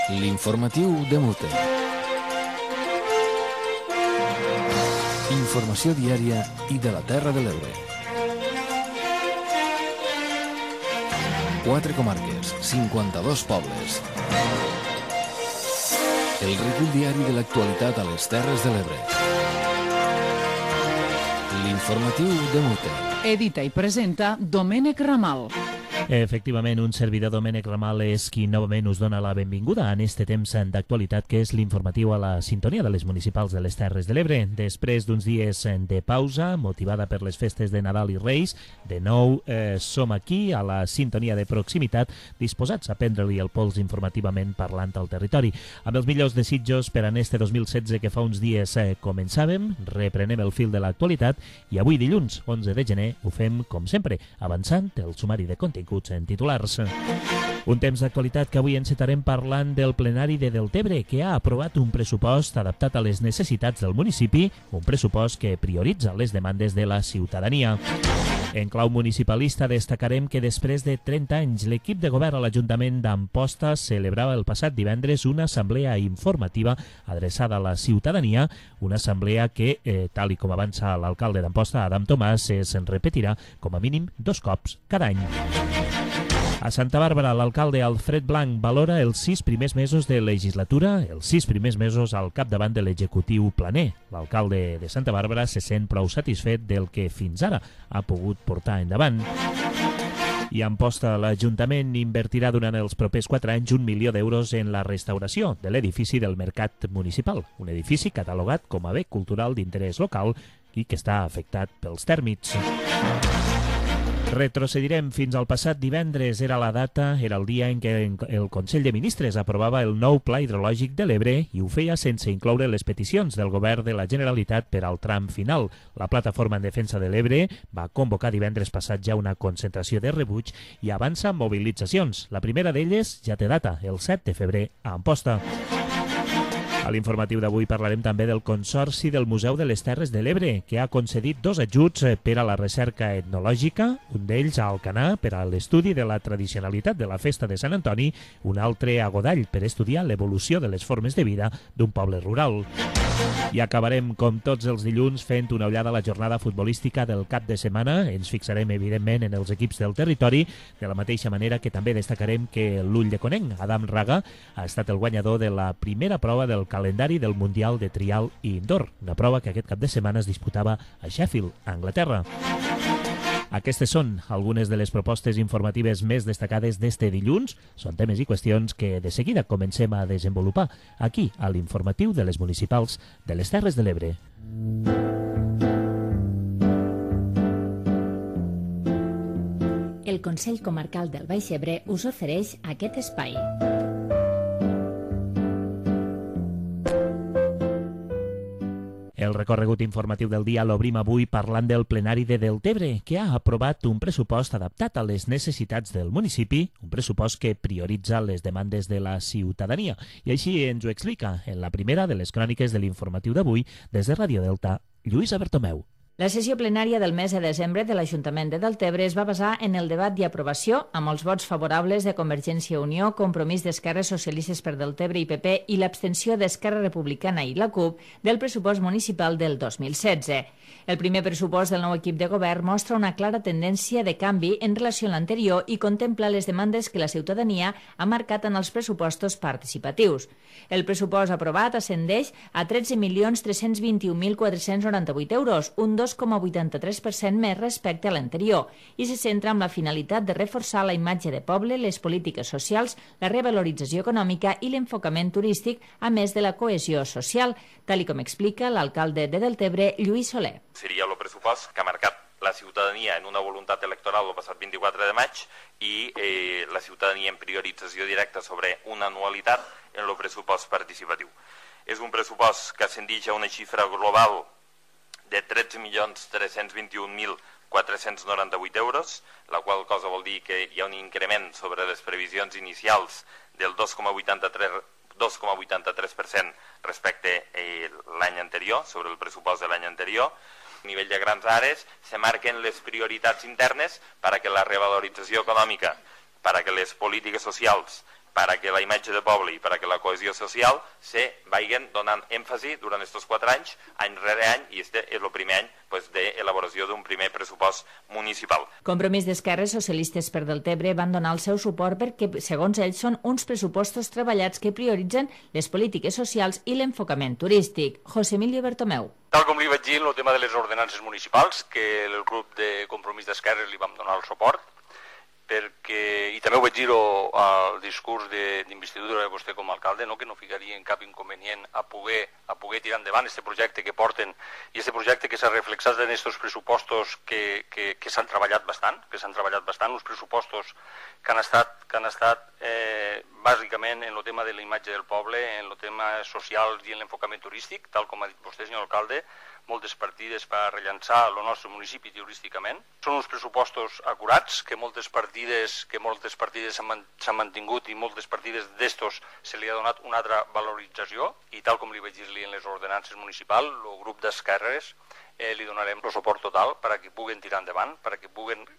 L'informatiu de Mute. Informació diària i de la Terra de l'Ebre. 4 comarques, 52 pobles. El recull diari de l'actualitat a les Terres de l'Ebre. L'informatiu de Mute. Edita i presenta Domènec Ramal. Efectivament, un servidor, Domènec Ramal, és qui novament us dona la benvinguda en este temps d'actualitat que és l'informatiu a la sintonia de les municipals de les Terres de l'Ebre. Després d'uns dies de pausa, motivada per les festes de Nadal i Reis, de nou som aquí a la sintonia de proximitat, disposats a prendre-li el pols informativament parlant al territori. Amb els millors desitjos per en este 2016 que fa uns dies començàvem, reprenem el fil de l'actualitat i avui dilluns, 11 de gener, ho fem com sempre, avançant el sumari de continguts en titulars. Un temps d'actualitat que avui encetarem parlant del plenari de Deltebre, que ha aprovat un pressupost adaptat a les necessitats del municipi, un pressupost que prioritza les demandes de la ciutadania. En clau municipalista destacarem que després de 30 anys l'equip de govern a l'Ajuntament d'Amposta celebrava el passat divendres una assemblea informativa adreçada a la ciutadania, una assemblea que, tal i com avança l'alcalde d'Amposta, Adam Tomàs, se'n repetirà com a mínim 2 cops cada any. A Santa Bàrbara, l'alcalde Alfred Blanc valora els 6 primers mesos de legislatura, els 6 primers mesos al capdavant de l'executiu planer. L'alcalde de Santa Bàrbara se sent prou satisfet del que fins ara ha pogut portar endavant. I a Amposta, l'Ajuntament invertirà durant els propers 4 anys 1 milió d'euros en la restauració de l'edifici del Mercat Municipal, un edifici catalogat com a bé cultural d'interès local i que està afectat pels tèrmits. Retrocedirem fins al passat divendres. Era la data, era el dia en què el Consell de Ministres aprovava el nou Pla Hidrològic de l'Ebre i ho feia sense incloure les peticions del Govern de la Generalitat per al tram final. La Plataforma en Defensa de l'Ebre va convocar divendres passat ja una concentració de rebuig i avança mobilitzacions. La primera d'elles ja té data, el 7 de febrer a Amposta. A l'informatiu d'avui parlarem també del Consorci del Museu de les Terres de l'Ebre, que ha concedit 2 ajuts per a la recerca etnològica, un d'ells a Alcanar per a l'estudi de la tradicionalitat de la festa de Sant Antoni, un altre a Godall per estudiar l'evolució de les formes de vida d'un poble rural. I acabarem, com tots els dilluns, fent una ullada a la jornada futbolística del cap de setmana. Ens fixarem, evidentment, en els equips del territori, de la mateixa manera que també destacarem que l'Ull de Conenc, Adam Raga, ha estat el guanyador de la primera prova del calendari del Mundial de Trial i Indoor, una prova que aquest cap de setmana es disputava a Sheffield, a Anglaterra. Aquestes són algunes de les propostes informatives més destacades d'este dilluns. Són temes i qüestions que de seguida comencem a desenvolupar aquí, a l'informatiu de les municipals de les Terres de l'Ebre. El Consell Comarcal del Baix Ebre us ofereix aquest espai. El recorregut informatiu del dia l'obrim avui parlant del plenari de Deltebre, que ha aprovat un pressupost adaptat a les necessitats del municipi, un pressupost que prioritza les demandes de la ciutadania. I així ens ho explica en la primera de les cròniques de l'informatiu d'avui, des de Ràdio Delta, Lluïsa Bertomeu. La sessió plenària del mes de desembre de l'Ajuntament de Deltebre es va basar en el debat i aprovació, amb els vots favorables de Convergència i Unió, Compromís d'Esquerres Socialistes per Deltebre i PP i l'abstenció d'Esquerra Republicana i la CUP del pressupost municipal del 2016. El primer pressupost del nou equip de govern mostra una clara tendència de canvi en relació a l'anterior i contempla les demandes que la ciutadania ha marcat en els pressupostos participatius. El pressupost aprovat ascendeix a 13.321.498 euros, un 2,83% més respecte a l'anterior, i se centra en la finalitat de reforçar la imatge de poble, les polítiques socials, la revalorització econòmica i l'enfocament turístic, a més de la cohesió social, tal com explica l'alcalde de Deltebre, Lluís Soler. Seria el pressupost que ha marcat la ciutadania en una voluntat electoral el passat 24 de maig i la ciutadania en priorització directa sobre una anualitat en el pressupost participatiu. És un pressupost que ascendeix a una xifra global de 13.321.498 euros, la qual cosa vol dir que hi ha un increment sobre les previsions inicials del 2,83% respecte a l'any anterior, sobre el pressupost de l'any anterior. A nivell de grans àrees se marquen les prioritats internes per a que la revalorització econòmica, per a que les polítiques socials, perquè la imatge de poble i perquè la cohesió social se vagin donant èmfasi durant aquests 4 anys, any rere any, i este és el primer any d'elaboració d'un primer pressupost municipal. Compromís d'Esquerres Socialistes per Deltebre van donar el seu suport perquè, segons ells, són uns pressupostos treballats que prioritzen les polítiques socials i l'enfocament turístic. José Emilio Bertomeu. Tal com li vaig dir en el tema de les ordenances municipals, que el grup de Compromís d'Esquerres li vam donar el suport, i també ho vaig dir al discurs d'investidura de vostè com a alcalde, que no ficaria en cap inconvenient a poder tirar endavant aquest projecte que porten i aquest projecte que s'ha reflexat en aquests pressupostos que s'han treballat bastant, uns pressupostos que han estat bàsicament en el tema de la imatge del poble, en el tema social i en l'enfocament turístic, tal com ha dit vostè, senyor alcalde, moltes partides per rellançar el nostre municipi turísticament. Són uns pressupostos acurats, que moltes partides s'han mantingut i moltes partides d'estos se li ha donat una altra valorització i tal com li vaig dir-li en les ordenances municipals, el grup d'Esquerres li donarem el suport total perquè puguen tirar endavant, perquè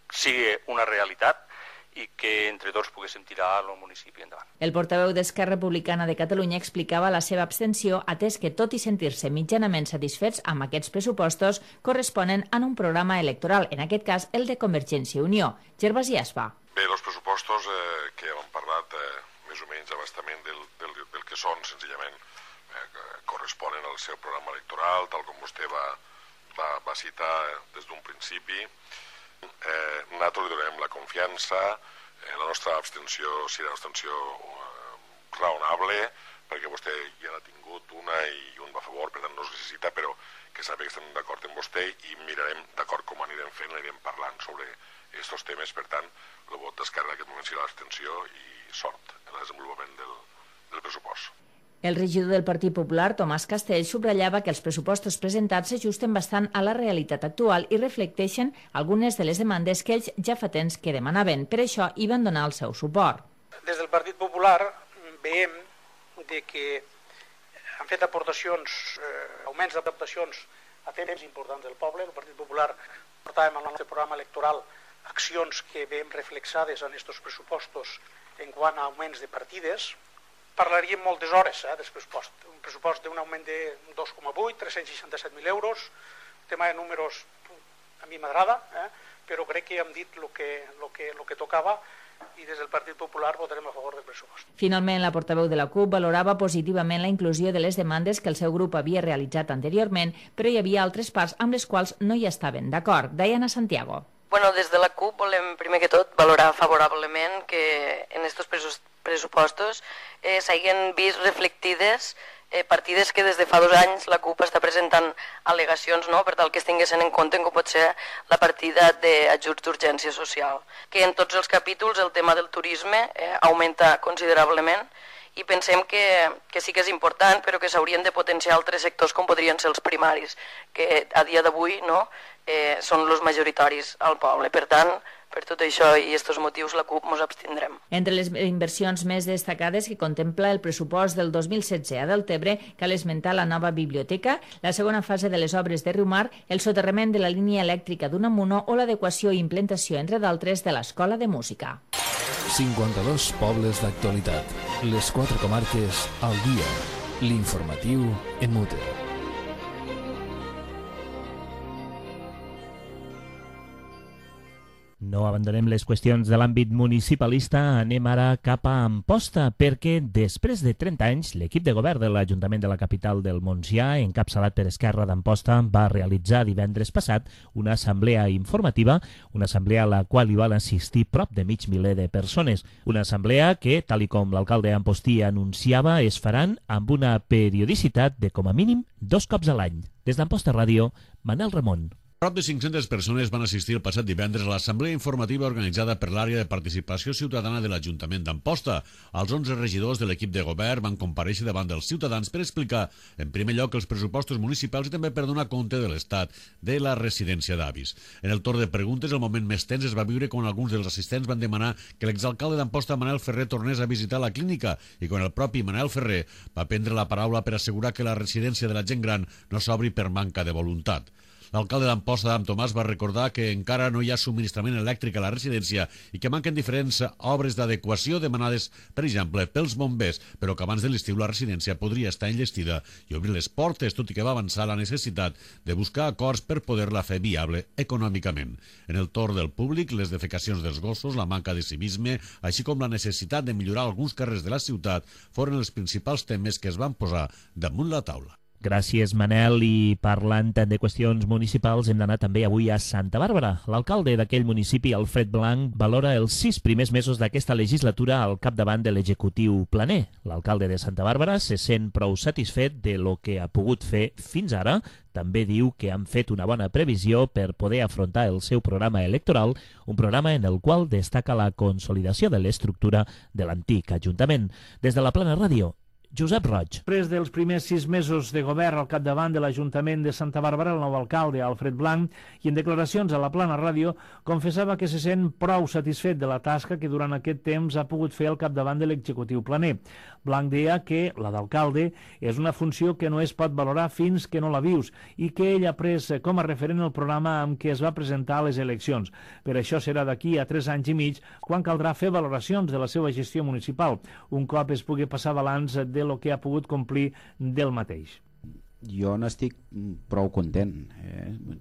sigui una realitat i que entre tots poguéssim tirar el municipi endavant. El portaveu d'Esquerra Republicana de Catalunya explicava la seva abstenció, atès que, tot i sentir-se mitjanament satisfets amb aquests pressupostos, corresponen a un programa electoral, en aquest cas el de Convergència i Unió. Gervasi Aspa. Bé, els pressupostos que hem parlat més o menys abastament del que són, senzillament, corresponen al seu programa electoral, tal com vostè va citar des d'un principi. Nosaltres li donem la confiança, la nostra abstenció serà una abstenció raonable, perquè vostè ja n'ha tingut una i un va a favor, per tant no es necessita, però que sàpiga que estem d'acord amb vostè i mirarem d'acord com anirem fent, anirem parlant sobre aquests temes. Per tant, el vot d'Esquerra en aquest moment serà l'abstenció i sort en el desenvolupament del pressupost. El regidor del Partit Popular, Tomàs Castell, subratllava que els pressupostos presentats s'ajusten bastant a la realitat actual i reflecteixen algunes de les demandes que ells ja fa temps que demanaven. Per això hi van donar el seu suport. Des del Partit Popular veiem que han fet aportacions, augments d'aportacions a temes importants del poble. El Partit Popular portàvem al nostre programa electoral accions que veiem reflexades en aquests pressupostos en quant a augments de partides. Parlaríem moltes hores del pressupost. Un pressupost d'un augment de 2,8, 367.000 euros. El tema de números a mi m'agrada, però crec que hem dit el que tocava i des del Partit Popular votarem a favor del pressupost. Finalment, la portaveu de la CUP valorava positivament la inclusió de les demandes que el seu grup havia realitzat anteriorment, però hi havia altres parts amb les quals no hi estaven d'acord. Diana Santiago. Bueno, des de la CUP volem, primer que tot, valorar favorablement que en aquests pressupostos s'hagin vist reflectides partides que des de fa 2 anys la CUP està presentant al·legacions per tal que es tinguessin en compte com pot ser la partida d'ajuts d'urgència social. Que en tots els capítols el tema del turisme augmenta considerablement i pensem que sí que és important, però que s'haurien de potenciar altres sectors com podrien ser els primaris, que a dia d'avui són els majoritaris al poble. Per tant, per tot això i aquests motius, la CUP ens abstindrem. Entre les inversions més destacades que contempla el pressupost del 2016 a Deltebre, cal esmentar la nova biblioteca, la segona fase de les obres de Riumar, el soterrament de la línia elèctrica d'Unamuno o l'adequació i implantació, entre d'altres, de l'Escola de Música. 52 pobles d'actualitat. Les 4 comarques al dia. L'informatiu en mute. No abandonem les qüestions de l'àmbit municipalista, anem ara cap a Amposta, perquè després de 30 anys l'equip de govern de l'Ajuntament de la capital del Montsià, encapçalat per Esquerra d'Amposta, va realitzar divendres passat una assemblea informativa, una assemblea a la qual hi van assistir prop de mig miler de persones. Una assemblea que, tal i com l'alcalde Ampostí anunciava, es faran amb una periodicitat de com a mínim 2 cops a l'any. Des d'Amposta Ràdio, Manel Ramon. Prop de 500 persones van assistir el passat divendres a l'assemblea informativa organitzada per l'àrea de participació ciutadana de l'Ajuntament d'Amposta. Els 11 regidors de l'equip de govern van comparèixer davant dels ciutadans per explicar, en primer lloc, els pressupostos municipals i també per donar compte de l'estat de la residència d'avis. En el torn de preguntes, el moment més tens es va viure quan alguns dels assistents van demanar que l'exalcalde d'Amposta, Manel Ferrer, tornés a visitar la clínica i quan el propi Manel Ferrer va prendre la paraula per assegurar que la residència de la gent gran no s'obri per manca de voluntat. L'alcalde d'Amposta, Adam Tomàs, va recordar que encara no hi ha subministrament elèctric a la residència i que manquen diferents obres d'adequació demanades, per exemple, pels bombers, però que abans de l'estiu la residència podria estar enllestida i obrir les portes, tot i que va avançar la necessitat de buscar acords per poder-la fer viable econòmicament. En el torn del públic, les defecacions dels gossos, la manca de civisme, així com la necessitat de millorar alguns carrers de la ciutat, foren els principals temes que es van posar damunt la taula. Gràcies, Manel. I parlant de qüestions municipals, hem d'anar també avui a Santa Bàrbara. L'alcalde d'aquell municipi, Alfred Blanc, valora els 6 primers mesos d'aquesta legislatura al capdavant de l'executiu planer. L'alcalde de Santa Bàrbara se sent prou satisfet de lo que ha pogut fer fins ara. També diu que han fet una bona previsió per poder afrontar el seu programa electoral, un programa en el qual destaca la consolidació de l'estructura de l'antic Ajuntament. Des de la Plana Ràdio, Josep Roig. Després dels primers 6 mesos de govern al capdavant de l'Ajuntament de Santa Bàrbara, el nou alcalde, Alfred Blanc, i en declaracions a la Plana Ràdio, confessava que se sent prou satisfet de la tasca que durant aquest temps ha pogut fer al capdavant de l'executiu planer. Blanc deia que la d'alcalde és una funció que no es pot valorar fins que no la vius i que ell ha pres com a referent el programa amb què es va presentar a les eleccions. Per això serà d'aquí a 3 anys i mig quan caldrà fer valoracions de la seva gestió municipal, un cop es pugui passar balanç de lo que ha pogut complir del mateix. Jo n'estic prou content,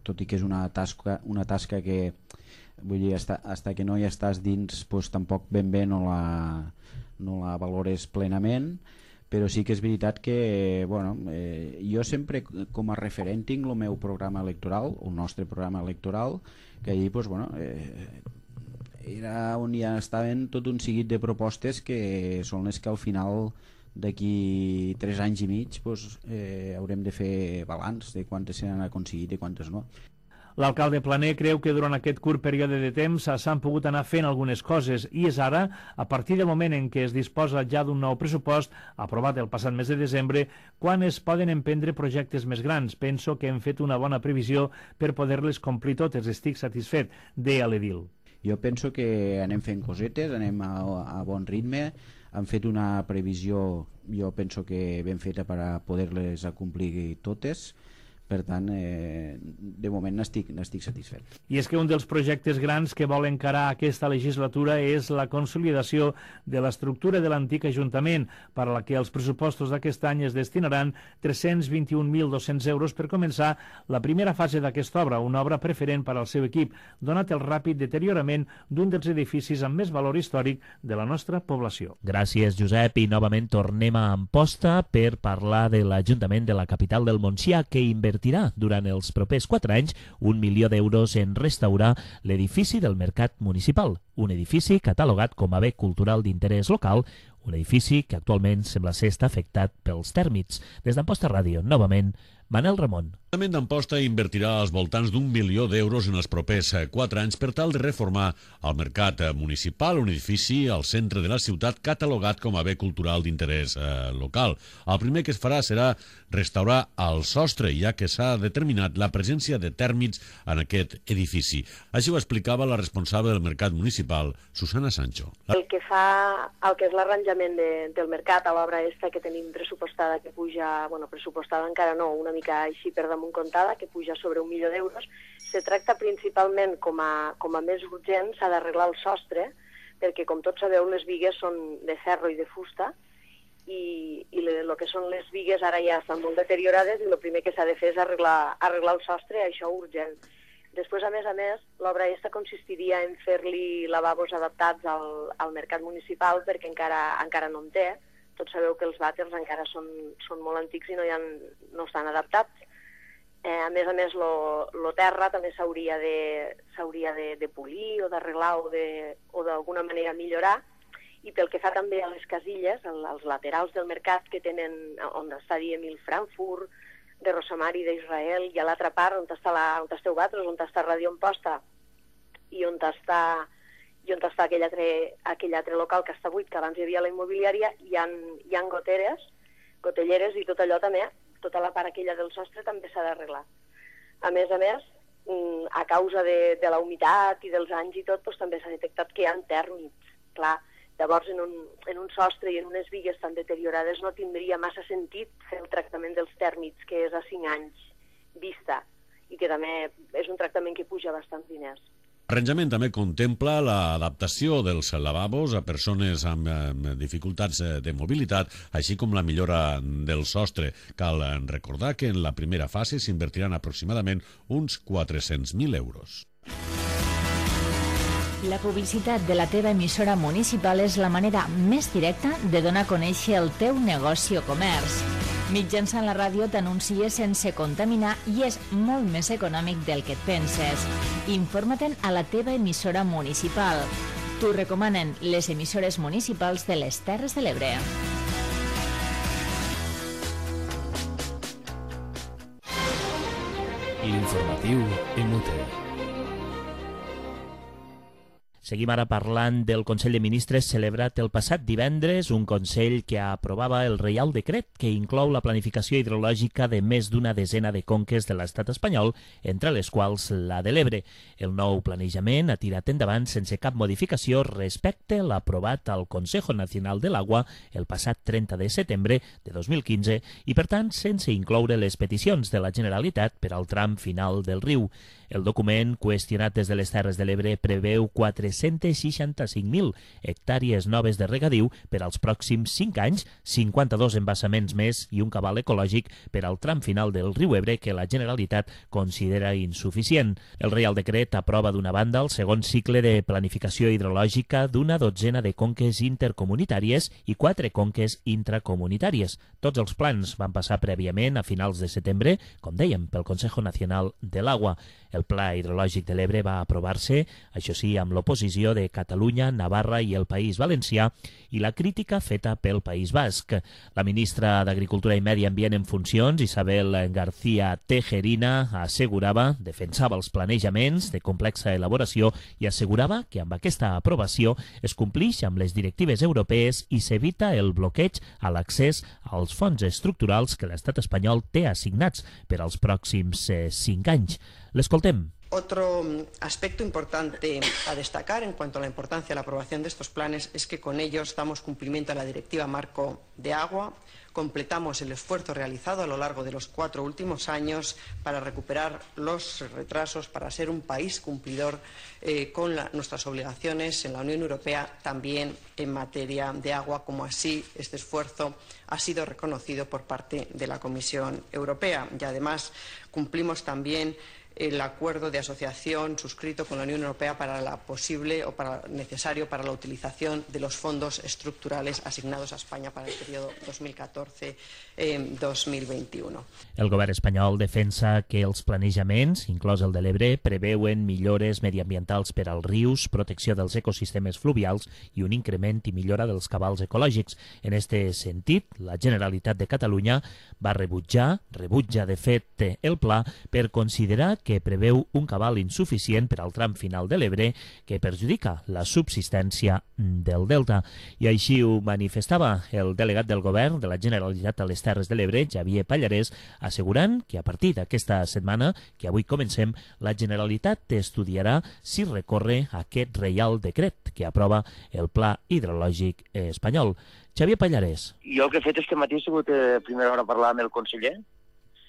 tot i que és una tasca que, vull dir, hasta que no hi estàs dins, pues, tampoc ben bé no la valores plenament, però sí que és veritat que, bueno, jo sempre com a referent tinc el meu programa electoral, el nostre programa electoral, que allí, pues, bueno, era on ja estaven tot un seguit de propostes que són les que al final d'aquí 3 anys i mig haurem de fer balanç de quantes s'han aconseguit i quantes no. L'alcalde planer creu que durant aquest curt període de temps s'han pogut anar fent algunes coses i és ara, a partir del moment en què es disposa ja d'un nou pressupost aprovat el passat mes de desembre, quan es poden emprendre projectes més grans. Penso que hem fet una bona previsió per poder-les complir totes. Estic satisfet, deia l'edil. Jo penso que anem fent cosetes, anem a bon ritme, han fet una previsió, jo penso que ben feta per a poder-les acomplir totes. Per tant, de moment n'estic satisfet. I és que un dels projectes grans que vol encarar aquesta legislatura és la consolidació de l'estructura de l'antic Ajuntament, per a la que els pressupostos d'aquest any es destinaran 321.200 euros per començar la primera fase d'aquesta obra, una obra preferent per al seu equip, donat el ràpid deteriorament d'un dels edificis amb més valor històric de la nostra població. Gràcies, Josep, i novament tornem a Amposta per parlar de l'Ajuntament de la capital del Montsià, que invertirà durant els propers 4 anys 1 milió d'euros en restaurar l'edifici del Mercat Municipal, un edifici catalogat com a bé cultural d'interès local, un edifici que actualment sembla ser està afectat pels tèrmits. Des d'Amposta Ràdio, novament, Manel Ramon. L'Ajuntament d'Amposta invertirà als voltants d'1 milió d'euros en els propers 4 anys per tal de reformar el mercat municipal, un edifici al centre de la ciutat catalogat com a bé cultural d'interès local. El primer que es farà serà restaurar el sostre, ja que s'ha determinat la presència de tèrmits en aquest edifici. Així ho explicava la responsable del mercat municipal, Susana Sancho. El que fa el que és l'arranjament del mercat a l'obra esta que tenim pressupostada, que puja, bueno, pressupostada encara no, una mica així per damunt comptada, que puja sobre 1 milió d'euros, se tracta principalment com a més urgent, s'ha d'arreglar el sostre, perquè com tots sabeu les bigues són de ferro i de fusta, i el que són les bigues ara ja estan molt deteriorades i el primer que s'ha de fer és arreglar el sostre, això urgent. Després, a més, l'obra aquesta consistiria en fer-li lavabos adaptats al mercat municipal perquè encara no en té. Tots sabeu que els vàters encara són molt antics i no estan adaptats. A més, el terra també s'hauria de polir o d'arreglar o d'alguna manera millorar. I pel que fa també a les casilles, als laterals del mercat que tenen, on està Emil Frankfurt, de Rosamari d'Israel, i a l'altra part on esteu vosaltres, on està Ràdio Amposta i on està aquell altre local que està buit, que abans hi havia la immobiliària, hi ha gotelleres i tot allò també, tota la part aquella del sostre també s'ha d'arreglar. A més, a causa de la humitat i dels anys i tot, també s'ha detectat que hi ha tèrmits. Clar, llavors en un sostre i en unes bigues tan deteriorades no tindria massa sentit fer el tractament dels tèrmits, que és a 5 anys vista. i que també és un tractament que puja bastants diners. L'arranjament també contempla l'adaptació dels lavabos a persones amb dificultats de mobilitat, així com la millora del sostre. Cal recordar que en la primera fase s'invertiran aproximadament uns 400.000 euros. La publicitat de la teva emissora municipal és la manera més directa de donar a conèixer el teu negoci o comerç. Mitjançant la ràdio t'anuncies sense contaminar i és molt més econòmic del que et penses. Informa-te'n a la teva emissora municipal. T'ho recomanen les emissores municipals de les Terres de l'Ebre. L'informatiu en Mute. Seguim ara parlant del Consell de Ministres celebrat el passat divendres, un Consell que aprovava el Reial Decret que inclou la planificació hidrològica de més d'una desena de conques de l'estat espanyol, entre les quals la de l'Ebre. El nou planejament ha tirat endavant sense cap modificació respecte a l'aprovat al Consejo Nacional de l'Agua el passat 30 de setembre de 2015 i, per tant, sense incloure les peticions de la Generalitat per al tram final del riu. El document, qüestionat des de les Terres de l'Ebre, preveu 465.000 hectàrees noves de regadiu per als pròxims 5 anys, 52 embassaments més i un cabal ecològic per al tram final del riu Ebre que la Generalitat considera insuficient. El Reial Decret aprova d'una banda el segon cicle de planificació hidrològica d'una dotzena de conques intercomunitàries i 4 conques intracomunitàries. Tots els plans van passar prèviament a finals de setembre, com dèiem, pel Consejo Nacional de l'Agua. El Pla Hidrològic de l'Ebre va aprovar-se, això sí, amb l'oposició de Catalunya, Navarra i el País Valencià i la crítica feta pel País Basc. La ministra d'Agricultura i Medi Ambient en funcions, Isabel García Tejerina, defensava els planejaments de complexa elaboració i assegurava que amb aquesta aprovació es complix amb les directives europees i s'evita el bloqueig a l'accés als fons estructurals que l'estat espanyol té assignats per als pròxims 5 anys. L'escoltem. Otro aspecto importante a destacar en cuanto a la importancia de la aprobación de estos planes es que con ellos damos cumplimiento a la Directiva Marco de Agua, completamos el esfuerzo realizado a lo largo de los 4 últimos años para recuperar los retrasos, para ser un país cumplidor con nuestras obligaciones en la Unión Europea, también en materia de agua, como así este esfuerzo ha sido reconocido por parte de la Comisión Europea. Y además cumplimos también el acuerdo de asociación suscrito con la Unión Europea para la posible o para necesario para la utilización de los fondos estructurales asignados a España para el periodo 2014-2021. El govern espanyol defensa que els planejaments, inclòs el de l'Ebre, preveuen millores mediambientals per als rius, protecció dels ecosistemes fluvials i un increment i millora dels cabals ecològics. En aquest sentit, la Generalitat de Catalunya rebutja de fet el pla per considerar que preveu un cabal insuficient per al tram final de l'Ebre que perjudica la subsistència del delta. I així ho manifestava el delegat del govern de la Generalitat a les Terres de l'Ebre, Xavier Pallarès, assegurant que a partir d'aquesta setmana, que avui comencem, la Generalitat estudiarà si recorre aquest Reial Decret que aprova el Pla Hidrològic espanyol. Xavier Pallarès. Jo el que he fet este matí ha sigut a primera hora parlar amb el conseller.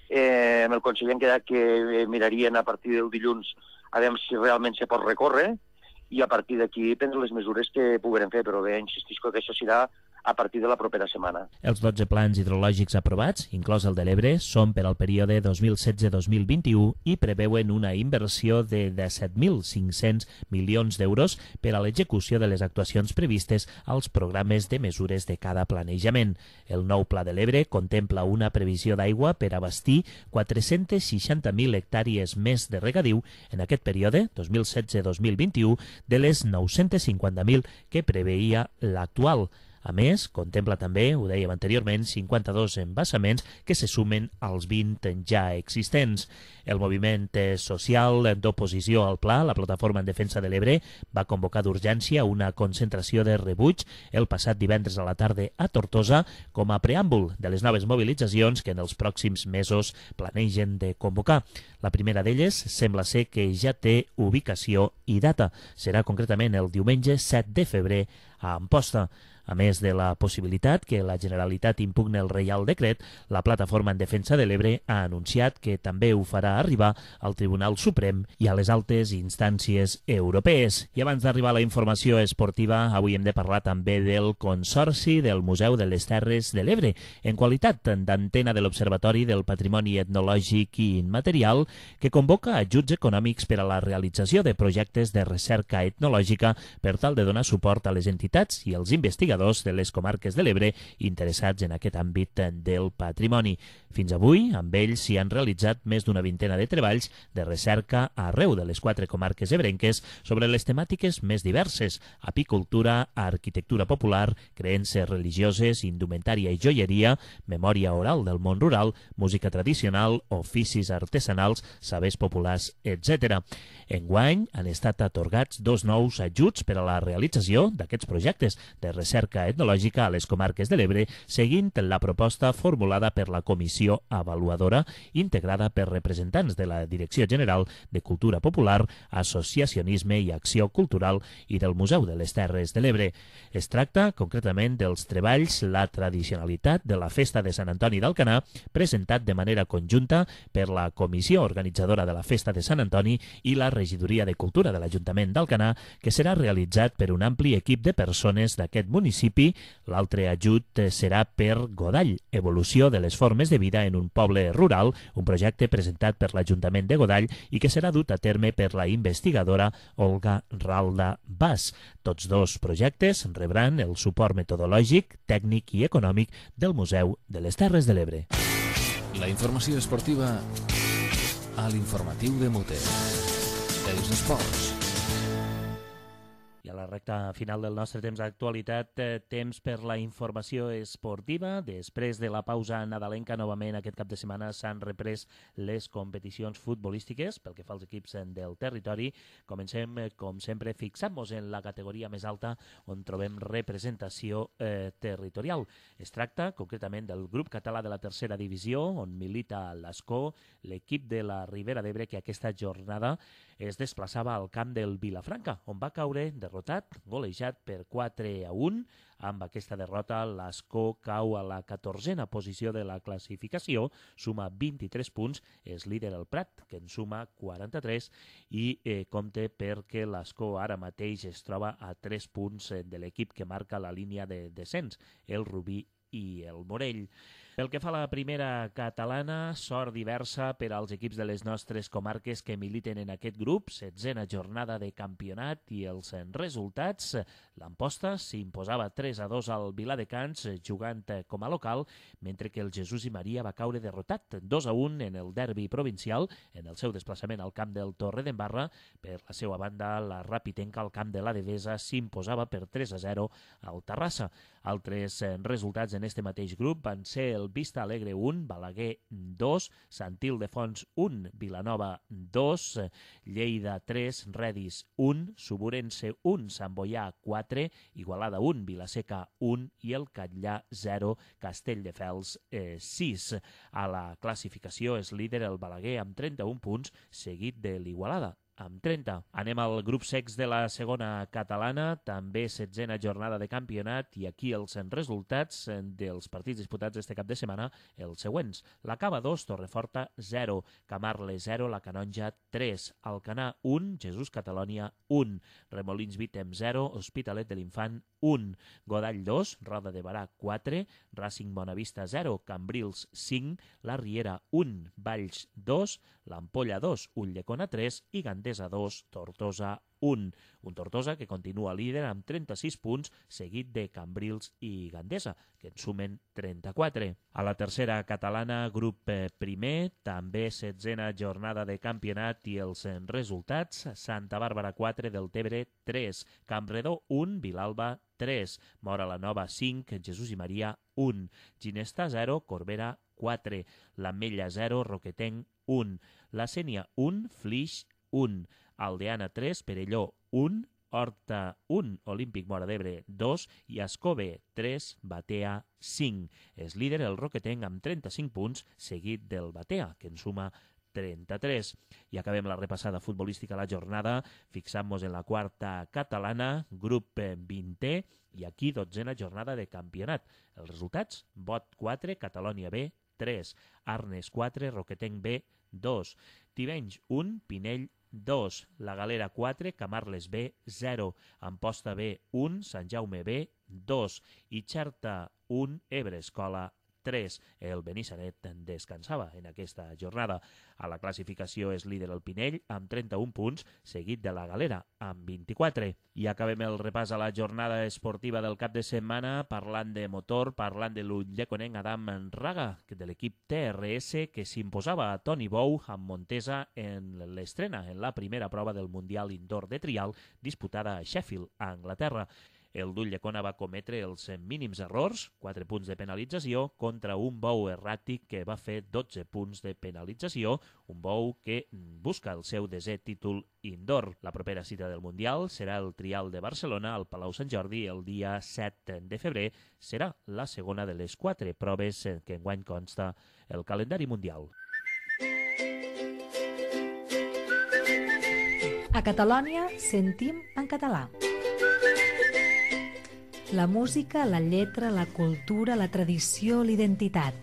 Amb el conseller hem quedat que mirarien a partir del dilluns a veure si realment se pot recórrer i a partir d'aquí prendre les mesures que puguem fer, però bé, insistisco que això serà a partir de la propera setmana. Els 12 plans hidrològics aprovats, inclòs el de l'Ebre, són per al període 2016-2021 i preveuen una inversió de 17.500 milions d'euros per a l'execució de les actuacions previstes als programes de mesures de cada planejament. El nou Pla de l'Ebre contempla una previsió d'aigua per abastir 460.000 hectàrees més de regadiu en aquest període, 2016-2021, de les 950.000 que preveia l'actual. A més, contempla també, ho dèiem anteriorment, 52 embassaments que se sumen als 20 ja existents. El moviment social d'oposició al pla, la Plataforma en Defensa de l'Ebre, va convocar d'urgència una concentració de rebuig el passat divendres a la tarda a Tortosa com a preàmbul de les noves mobilitzacions que en els pròxims mesos planegen de convocar. La primera d'elles sembla ser que ja té ubicació i data. Serà concretament el diumenge 7 de febrer a Amposta. A més de la possibilitat que la Generalitat impugne el Reial Decret, la Plataforma en Defensa de l'Ebre ha anunciat que també ho farà arribar al Tribunal Suprem i a les altes instàncies europees. I abans d'arribar a la informació esportiva, avui hem de parlar també del Consorci del Museu de les Terres de l'Ebre, en qualitat d'antena de l'Observatori del Patrimoni Etnològic i Immaterial, que convoca ajuts econòmics per a la realització de projectes de recerca etnològica per tal de donar suport a les entitats i als investigadors de les comarques de l'Ebre interessats en aquest àmbit del patrimoni. Fins avui, amb ells s'hi han realitzat més d'una vintena de treballs de recerca arreu de les 4 comarques ebrenques sobre les temàtiques més diverses: apicultura, arquitectura popular, creences religioses, indumentària i joieria, memòria oral del món rural, música tradicional, oficis artesanals, sabers populars, etc. Enguany han estat atorgats 2 nous ajuts per a la realització d'aquests projectes de recerca etnològica a les comarques de l'Ebre, seguint la proposta formulada per la Comissió Avaluadora, integrada per representants de la Direcció General de Cultura Popular, Associacionisme i Acció Cultural i del Museu de les Terres de l'Ebre. Es tracta, concretament, dels treballs La tradicionalitat de la Festa de Sant Antoni d'Alcanar, presentat de manera conjunta per la Comissió Organitzadora de la Festa de Sant Antoni i la Regidoria de Cultura de l'Ajuntament d'Alcanar, que serà realitzat per un ampli equip de persones d'aquest municipi. L'altre ajut serà per Godall, evolució de les formes de vida en un poble rural, un projecte presentat per l'Ajuntament de Godall i que serà dut a terme per la investigadora Olga Ralda Bas. Tots 2 projectes rebran el suport metodològic, tècnic i econòmic del Museu de les Terres de l'Ebre. La informació esportiva a l'informatiu de Mute. Els esports. I a la recta final del nostre temps d'actualitat, temps per la informació esportiva. Després de la pausa nadalenca, novament aquest cap de setmana s'han reprès les competicions futbolístiques pel que fa als equips del territori. Comencem, com sempre, fixant-nos en la categoria més alta on trobem representació territorial. Es tracta, concretament, del grup català de la tercera divisió, on milita l'Ascó, l'equip de la Ribera d'Ebre, que aquesta jornada es desplaçava al camp del Vilafranca, on va caure derrotat, golejat per 4-1. Amb aquesta derrota, l'Ascó cau a la 14a posició de la classificació, suma 23 punts, és líder el Prat, que en suma 43, i compte perquè l'Ascó ara mateix es troba a 3 punts de l'equip que marca la línia de descens, el Rubí i el Morell. Pel que fa a la primera catalana, sort diversa per als equips de les nostres comarques que militen en aquest grup. 16a jornada de campionat i els resultats. L'Amposta s'imposava 3-2 al Viladecans jugant com a local, mentre que el Jesús i Maria va caure derrotat 2-1 en el derbi provincial en el seu desplaçament al camp del Torredembarra. Per la seva banda, la Rapitenca al camp de la Devesa s'imposava per 3-0 al Terrassa. Altres resultats en este mateix grup van ser el Vista Alegre 1, Balaguer 2, Sant Ildefons 1, Vilanova 2, Lleida 3, Redis 1, Suburense 1, Sant Boià 4, Igualada 1, Vilaseca 1 i el Catllà 0, Castelldefels 6. A la classificació és líder el Balaguer amb 31 punts, seguit de l'Igualada amb 30. Anem al grup secs de la segona catalana, també 16a jornada de campionat, i aquí els resultats dels partits disputats este cap de setmana, els següents. La Cava 2, Torreforta 0, Camarle 0, la Canonja 3, Alcanar 1, Jesús Catalònia 1, Remolins Vítem 0, Hospitalet de l'Infant 1, Godall 2, Roda de Barà 4, Racing Bonavista 0, Cambrils 5, La Riera 1, Valls 2, l'Ampolla 2, Ulldecona 3 i Gandesa 2, Tortosa 1. Un Tortosa que continua líder amb 36 punts, seguit de Cambrils i Gandesa, que en sumen 34. A la tercera catalana, grup primer, també 16a jornada de campionat i els resultats: Santa Bàrbara 4, Deltebre 3, Campredó 1, Vilalba 3, Mora la Nova 5, Jesús i Maria 1, Ginesta 0, Corbera 4, l'Ametlla 0, Roquetenc 1, la Sénia 1, Flix 1, Aldeana 3, Perelló 1, Horta 1, Olímpic Móra d'Ebre 2 i Escove 3, Batea 5. És líder el Roquetenc amb 35 punts, seguit del Batea, que en suma 33. I acabem la repassada futbolística a la jornada fixant-nos en la quarta catalana, grup 20è, i aquí 12a jornada de campionat. Els resultats: Bot 4, Catalònia B 3, Arnes 4, Roquetenc B 2, Tivenys 1, Pinell 2, La Galera 4, Camarles B 0, Amposta B 1, Sant Jaume B 2 i Xerta 1, Ebre Escola 3. El Benissanet descansava en aquesta jornada. A la classificació és líder el Pinell amb 31 punts, seguit de la Galera amb 24. I acabem el repàs a la jornada esportiva del cap de setmana parlant de motor, parlant de l'Ulldecone Adam Raga, de l'equip TRS, que s'imposava a Toni Bou amb Montesa en l'estrena en la primera prova del Mundial Indoor de Trial disputada a Sheffield, a Anglaterra. El d'Ulldecona va cometre els mínims errors, 4 punts de penalització, contra un Bou erràtic que va fer 12 punts de penalització, un Bou que busca el seu 10è títol indoor. La propera cita del Mundial serà el Trial de Barcelona al Palau Sant Jordi el dia 7 de febrer. Serà la segona de les 4 proves que enguany consta el calendari mundial. A Catalònia sentim en català. La música, la lletra, la cultura, la tradició, l'identitat.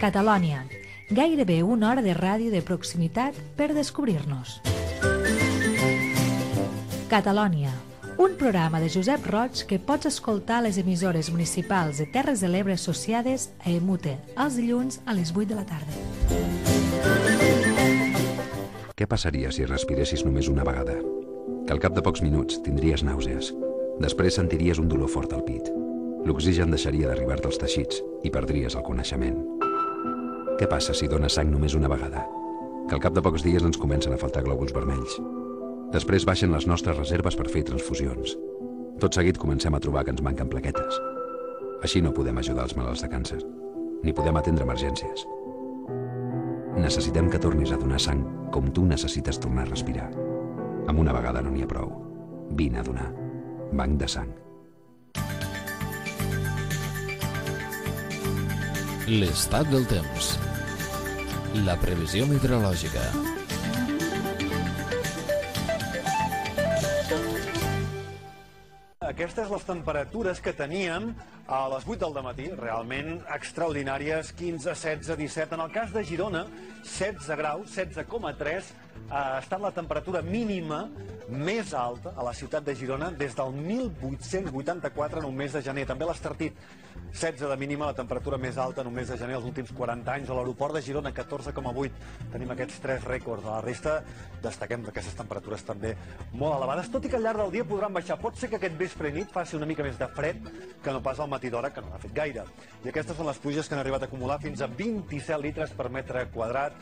Catalònia, gairebé una hora de ràdio de proximitat per descobrir-nos. Catalònia, un programa de Josep Roig que pots escoltar a les emissores municipals de Terres de l'Ebre associades a EMUTE els dilluns a les 8 de la tarda. Què passaria si respiressis només una vegada? Que al cap de pocs minuts tindries nàusees. Després sentiries un dolor fort al pit. L'oxigen deixaria d'arribar-te als teixits i perdries el coneixement. Què passa si dones sang només una vegada? Que al cap de pocs dies ens comencen a faltar glòbuls vermells. Després baixen les nostres reserves per fer transfusions. Tot seguit comencem a trobar que ens manquen plaquetes. Així no podem ajudar els malalts de càncer, ni podem atendre emergències. Necessitem que tornis a donar sang com tu necessites tornar a respirar. Amb una vegada no n'hi ha prou. Vine a donar. Banc de sang. L'estat del temps. La previsió meteorològica. Aquestes les temperatures que teníem a les 8 del dematí, realment extraordinàries, 15, 16, 17. En el cas de Girona, 16 graus, 16,3, ha estat la temperatura mínima més alta a la ciutat de Girona des del 1884 en un mes de gener. També l'Estartit, 16 de mínima, la temperatura més alta en un mes de gener els últims 40 anys. A l'aeroport de Girona, 14,8. Tenim aquests 3 rècords. A la resta, destaquem aquestes temperatures també molt elevades, tot i que al llarg del dia podran baixar. Pot ser que aquest vespre i nit faci una mica més de fred que no pas al matí d'hora, que no n'ha fet gaire. I aquestes són les pluges que han arribat a acumular fins a 27 litres per metre quadrat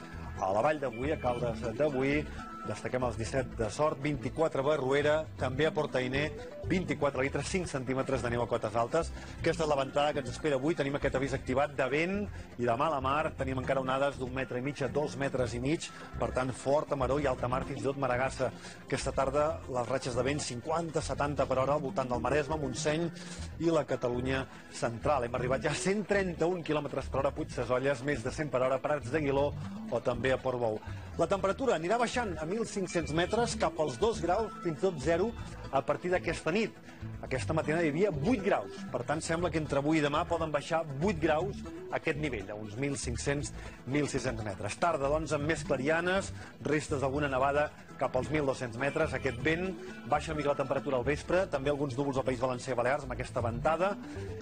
a la Vall de Boí, a Caldes de Boí. Destaquem els 17 de Sort, 24 a Barruera, també a Portainer, 24 litres, 5 centímetres de neu a cotes altes. Aquesta és la ventada que ens espera avui. Tenim aquest avís activat de vent i de mala mar. Tenim encara onades d'1,5 metre a 2,5 metres. Per tant, forta maror i alta mar, fins i tot Maragassa. Aquesta tarda, les ratxes de vent 50-70 per hora al voltant del Maresme, Montseny i la Catalunya central. Hem arribat ja a 131 km per hora a Puigsesolles, més de 100 per hora a Prats d'Aguiló o també a Portbou. La temperatura anirà baixant a 1.500 metres cap als 2 graus, fins i tot 0, a partir d'aquesta nit. Aquesta matinada hi havia 8 graus. Per tant, sembla que entre avui i demà poden baixar 8 graus a aquest nivell, a uns 1.500-1.600 metres. Tarda, doncs, amb més clarianes, restes d'alguna nevada cap als 1.200 metres. Aquest vent baixa una mica la temperatura al vespre, també alguns núvols al País Valencià i Balears amb aquesta ventada,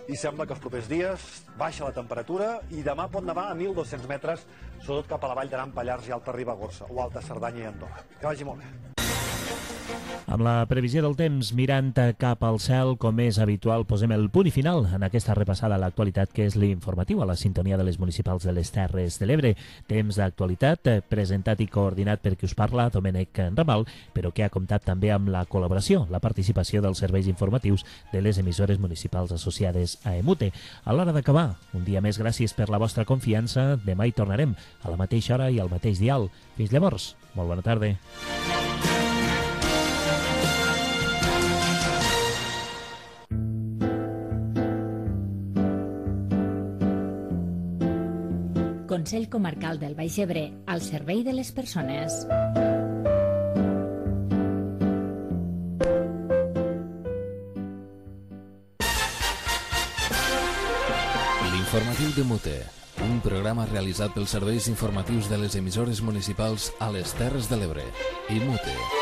i sembla que els propers dies baixa la temperatura i demà pot nevar a 1.200 metres, sobretot cap a la Vall d'Aran, Pallars i Alta Ribagorça, o Alta Cerdanya i Andorra. Que vagi molt bé. Amb la previsió del temps mirant cap al cel, com és habitual, posem el punt i final en aquesta repassada a l'actualitat que és l'informatiu a la sintonia de les municipals de les Terres de l'Ebre. Temps d'actualitat presentat i coordinat per qui us parla, Domènec Ramal, però que ha comptat també amb la col·laboració, la participació dels serveis informatius de les emissores municipals associades a EMUTE. A l'hora d'acabar, un dia més, gràcies per la vostra confiança. Demà hi tornarem a la mateixa hora i al mateix dial. Fins llavors, molt bona tarda. Consell Comarcal del Baix Ebre, al servei de les persones. L'informatiu de Mute, un programa realitzat pels serveis informatius de les emissores municipals a les Terres de l'Ebre i Mute.